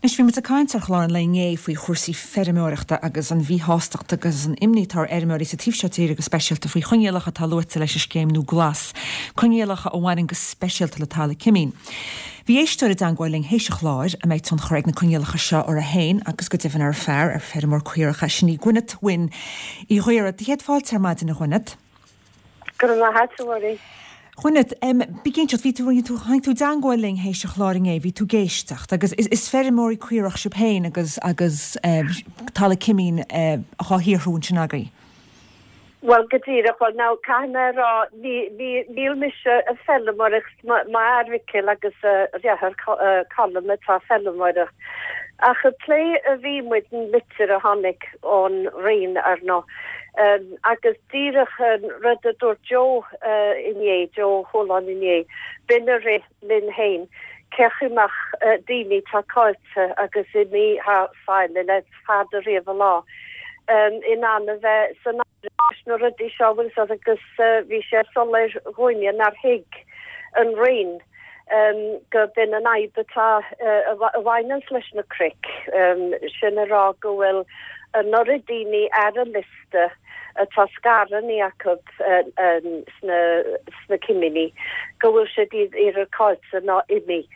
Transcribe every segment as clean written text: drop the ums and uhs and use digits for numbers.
Anois, bhí muid ag caint ar chlár an lae inné faoi chúrsaí feirmeoireachta agus an mhíshástacht agus an imní atá ar fheirmeoirí sa taobh seo tíre go speisialta faoi choinníollacha atá luaite leis an scéim nua Glas, coinníollacha a bhaineann go speisialta le talamh cimín. Bhí éisteoir i dteangmháil linn théis an chláir a mbeidh tionchar ag na coinníollacha seo uirthi féin agus go deimhin ar a fear, ar feirmeoir caorach é, sin í Gwyneth Wynne Uí Ghaora. Do chéad fáilte ar maidin a Gwyneth. Go raibh maith a't, a Mháirín. Gwyneth, bí ag inseacht, bhí tú, bhí tú, tháinig tú i dteangmháil linn théis an chláir inné, bhí tú ag éisteacht agus is, is feirmeoirí caorach sibh féin agus, agus talamh cimín dhá shaothrú ansin agaibh. Bhuel, go díreach, bhuel now, caithfidh mé a rá, ní, ní, níl mise ag feilmeoireacht, mo, m'fhear Micil agus a dheartháir Colm atá ag feilmeoireacht. Ach ag plé a bhí muid an litir a tháinig ón Roinn, ar ndóigh, Agus díreach an rud a dúirt Joe inné, Joe Ó Cualáin inné, b'in a rith linn féin, cé chaoi mbeadh daoine atá caillte agus imithe thar sáile le fada riamh an lá, in ann a bheith san áireamh leis na rudaí seo, bhfuil fhios agat, agus bhí sé soiléir dhúinne nár thuig an Roinn go b'in an fhadhb atá a bhaineanns leis na cnoic, sin a rá go bhfuil an oiread daoine ar an liosta atá scaireanna acu sna cimíní go bhfuil siad either caillte nó imithe,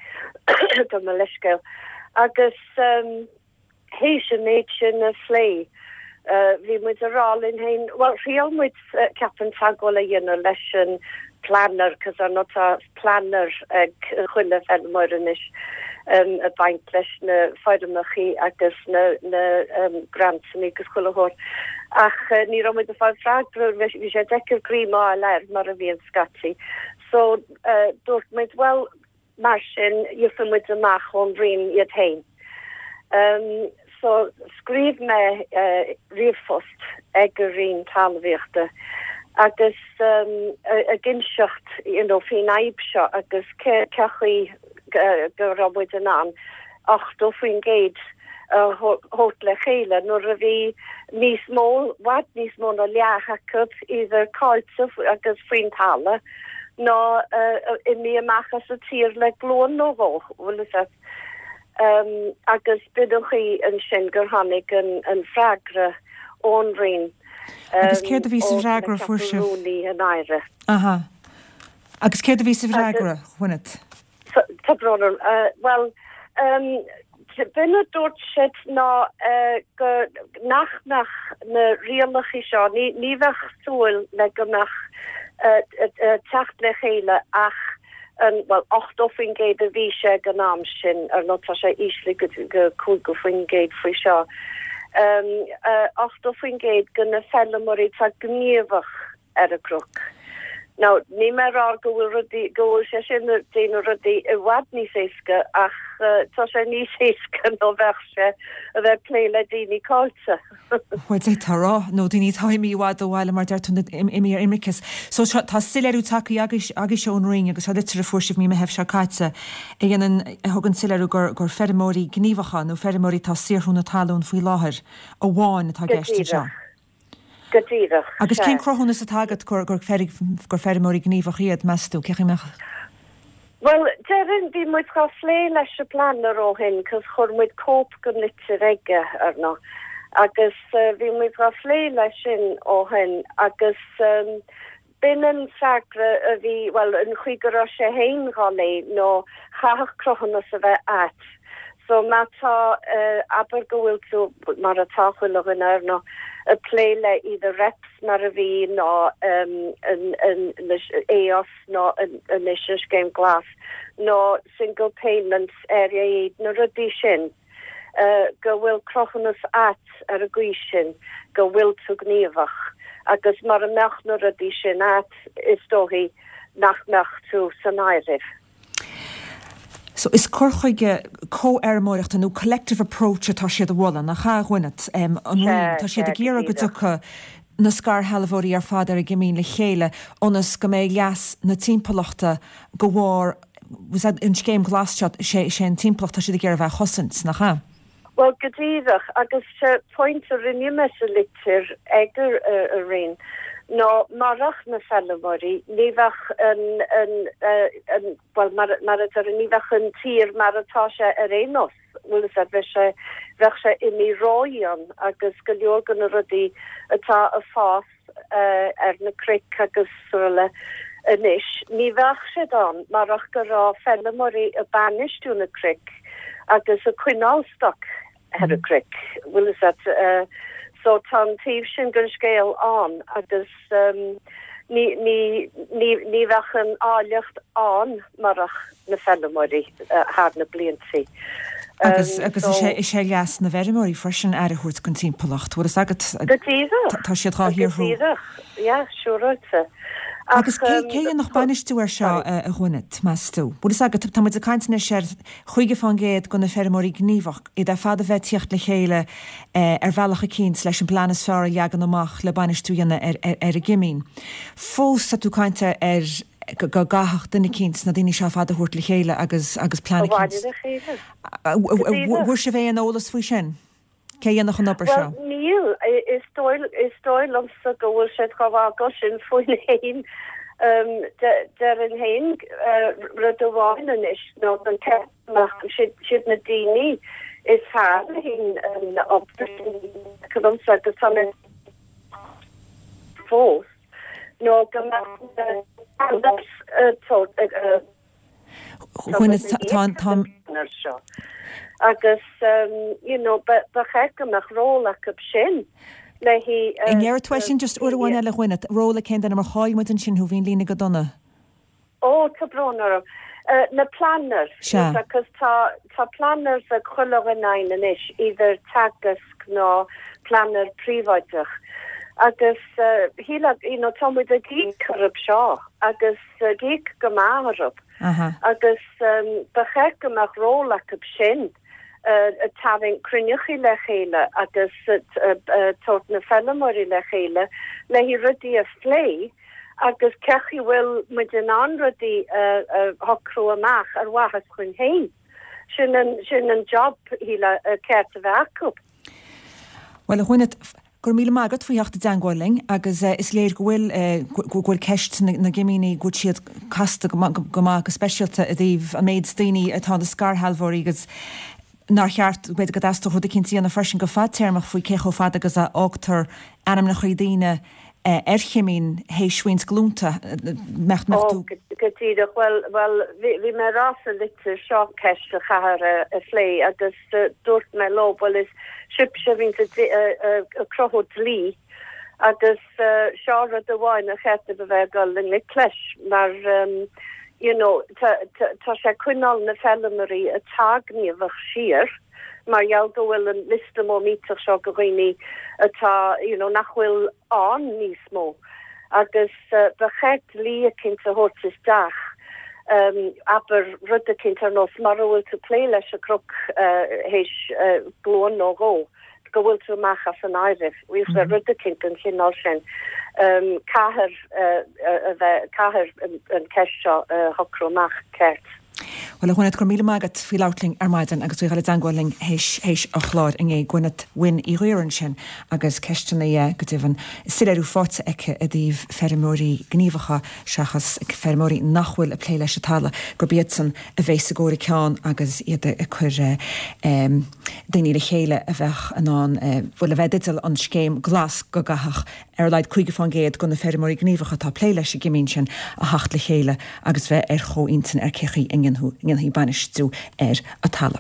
gabh mo leithscéal. Agus. Théis an méid sin a phlé, bhí muid ag rá linn féin, bhuel, thriail muid, ceapaim, teagmháil a dhéanamh leis an planner, cos ar ndóigh tá planner ag chuile fheilmeoir anois, ag baint leis na foirmeachaí agus na na grantsanna agus chuile shórt. Ach ní raibh muid ag fáil freagra, bhí sé deacair greim a fháil air mar a bhíonn scaití. So dúirt muid, bhuel, Mar sin, gheobhaidh muid amach ón Roinn iad féin. So, scríobh mé ríomhphost ag an Roinn Talmhaíochta agus ag inseacht you know faoin fhadhb seo agus cé chaoi go raibh muid in ann 80% a thabhairt le chéile nuair a bhí níos mó, i bhfad níos mó ná leath acu either caillte agus faoin talamh nó imithe amach as an tír le glúin nó dhó, bhfuil fhios a't. Agus b'in an chaoi ansin gur tháinig an freagra ón Roinn. Agus céard a bhí sa bhfreagra a fuair sibh? Rúnaí an Aire. Aha. Agus céard a bhí sa bhfreagra, Gwyneth? Tá brón orm. Bhuel, b'in a dúirt siad ná go nach mbeadh na rialacha seo, ní bheadh súil le go mbeadh teacht le chéile ach an, bhuel, 80% a bhí sé ag an am sin, ar ndóigh tá sé íslithe go 50% faoi seo, 80% de na feilméaraí atá gníomhach ar an gcnoc. Now, níl mé ag rá go bhfuil rudaí, go bhfuil sé sin ag déanamh rudaí i bhfad níos éasca ach tá sé níos éasca ná bheadh sé a bheith ag plé le daoine caillte. Bhuel, d'fhéadfá a rá, nó daoine atá imithe i bhfad ó bhaile mar deir tú, imithe ar imirce. So tá soiléiriú tagtha agaibhse ón Roinn agus tá litir a fuair sibh mí Meithimh seo caite a dhéanann, a thugann soiléiriú gur, gur feirmeoirí gníomhacha nó feirmeoirí atá ag saothrú na talún faoi láthair amháin atá i Go gceist anseo. díreach. Go díreach, Agus sea. cén cruthúnas atá agat gur gur feirmeoirí gníomhach iad, meas tú? Cé chaoi mbeadh. Bhuel, déarfainn, bhí muid dhá phlé leis an bplanner ó shin cos chuir muid cóip den litir aige, ar ndóigh, agus bhí muid dhá phlé leis sin ó shin agus B'in an freagra a bhí, bhuel, an chaoi go raibh sé féin dhá léamh nó chaithfeadh cruthúnas a bheith a'at. So má tá, abair go bhfuil tú, mar atá chuile dhuine ar ndóigh, ag plé le either REPS mar a bhí nó an AOS nó anois an Scéim Glas nó Single Payments, Area Aid, na rudaí sin. go bhfuil cruthúnas a'at ar an gcaoi sin go bhfuil tú gníomhach agus mura mbeadh na rudaí sin a'at is dóichí nach mbeadh tú san áireamh. So is cur chuige comhfheirmeoireachta nó collective approach atá siad a mholadh, nach ea, a Gwyneth? An Roinn, tá siad ag iarraidh go dtiocfadh na scairshealbhóirí ar fad ar an gcimín le chéile ionas go mbeidh leas na timpeallachta go bharr an scéim ghlas seo, sé sé an timpeallacht tá siad ag iarraidh a bheith a chosaint, nach ea? Bhuel, go díreach, agus sé pointe a rinne mé sa litir ag an Roinn. Nó marach na feilméaraí ní bheadh an, an, an, bhuel mar, mar a deir, ní bheadh an tír mar atá sé ar aon nós, bhfuil fhios a'd, bheadh sé, bheadh sé imithe ródhian agus go leor de na rudaí atá ag fás ar na cnoic agus araile anois, ní bheadh siad ann marach go raibh feilméaraí ag bainistiú na cnoic agus ag coinneáil stoc ar na cnoic, bhfuil fhios a'd. So tá an taobh sin den scéal ann agus ní, ní, ní, ní bheadh an áilleacht ann marach na feilméaraí thar na bliantaí. Agus, agus is é, is é leas na bhfeirmeoirí freisin aire a thabhairt don timpeallacht, bhfuil fhios agat? Go díreach. Tá siad dhá shaothrú. Go díreach, yeah, siúráilte. Agus cé, cé a dhéanfadh bainistiú air seo, a Ghuainet, meas tú? Bhfuil fhios agat, tá muid ag caint anois ar 50% de na feirmeoirí gníomhach, iad ar fad a bheith ag tíocht le chéile ar bhealach eicínt leis an bplean is fearr a leagan amach le bainistiú a dhéanamh ar, ar, ar an gcimín. Fós tá tú ag caint ar go gcaithfeadh duine eicínt na daoine seo ar fad a thabhairt le chéile agus agus plean eicínt. A bhailiú le chéile. Bhfuair sibh aon eolas faoi sin? Cé a dhéanfadh an obair seo? Bhuel, níl. Is dóigh, is dóigh liomsa go bhfuil siad chomh fágáil sin faoin fhéin. Déarfainn féin rud amháin anois nó don cheist amach siad na daoine is fearr le haghaidh an obair sin liomsa agus tá mé fós. nó go mbeadh na planners seo agus you know ba cheart go mbeadh ról acu sin le haghaidh. An ndéarfaidh tú é sin just uair amháin eile a Ghuainet, ról ag cén duine mar chaill muid ansin thú, bhí an líne go dona. Ó, tá brón orm. Na planners, Sea. agus tá, tá planners ag chuile dhuine againn anois, either Teagasc nó planner príobháideach. Agus shílfeá, you know, tá muid ag íoc orthu seo agus ag íoc go maith orthu. Agus ba cheart go mbeadh ról acu sin ag tarraingt cruinneachaí le chéile agus tabhairt na feilméaraí le chéile le haghaidh rudaí a phlé. agus cé chaoi bhfuil muid in ann rudaí a shocrú amach ar mhaitheas chuinn féin. Sin an, sin an job, shílfeá, ceart a bheith acu. Bhuel, a Ghuainet, go raibh míle maith agat faoi theacht i dteangmháil linn agus is léir go bhfuil, go bhfuil ceist na gcimíní, go bhfuil siad casta go maith, go speisialta i dtaobh an méid daoine atá ina scairshealbhóirí agus nár cheart, b'fhéidir go dteastódh rud eicínt a dhéanamh freisin go fadtéarmach faoi cé chomh fada agus a fhágtar ainmneachaí daoine ar chimín théis roinnt glúnta. Mbeadh, mbeadh tú. Ó, go díreach. Bhuel, bhuel, bhí, bhí mé ag rá sa litir seo ceist a chaithfear a phlé agus dúirt mé leo, bhuel, is sibhse a bhíonns ag cruthú dlí agus seo rud amháin ar cheart daoibh a bheith ag dul i ngleic leis mar you know tá sé ag coinneáil na feilméaraí atá gníomhach siar mar gheall go bhfuil an liosta mór millteach seo de dhaoine atá you know nach bhfuil ann níos mó agus ba cheart dlí eicínt a thabhairt isteach abair rud eicínt ar nós mura bhfuil tú ag plé leis an gcnoc théis glúin nó dhó. go bhfuil tú amach as an áireamh, rud eicínt den chineál sin. Caithfear a bheith, caithfear an ceist seo a shocrú amach ceart. Bhuel, a Ghuainet, go raibh míle maith agat faoi labhairt linn ar maidin agus faoi dhul i dteangmháil linn théis, théis an chláir inné. Gweneth Wyn Uí Ghaora ansin agus ceisteanna, go deimhin, soiléiriú faighte aici i dtaobh feirmeoirí gníomhacha seachas feirmeoirí nach bhfuil ag plé leis an talamh, gurb iadsan a bhéas i gcomhair a ceann agus iad ag cur daoine le chéile a bheadh in ann, bhuel, a bheith i dteideal an scéim glas go gcaithfeadh ar a laghad 50% de na feirmeoirí gníomhacha atá ag plé leis an gcimín sin a theacht le chéile agus bheith ar chomhintinn ar cé chaoi a ndéanfaí bainistiú ar an talamh.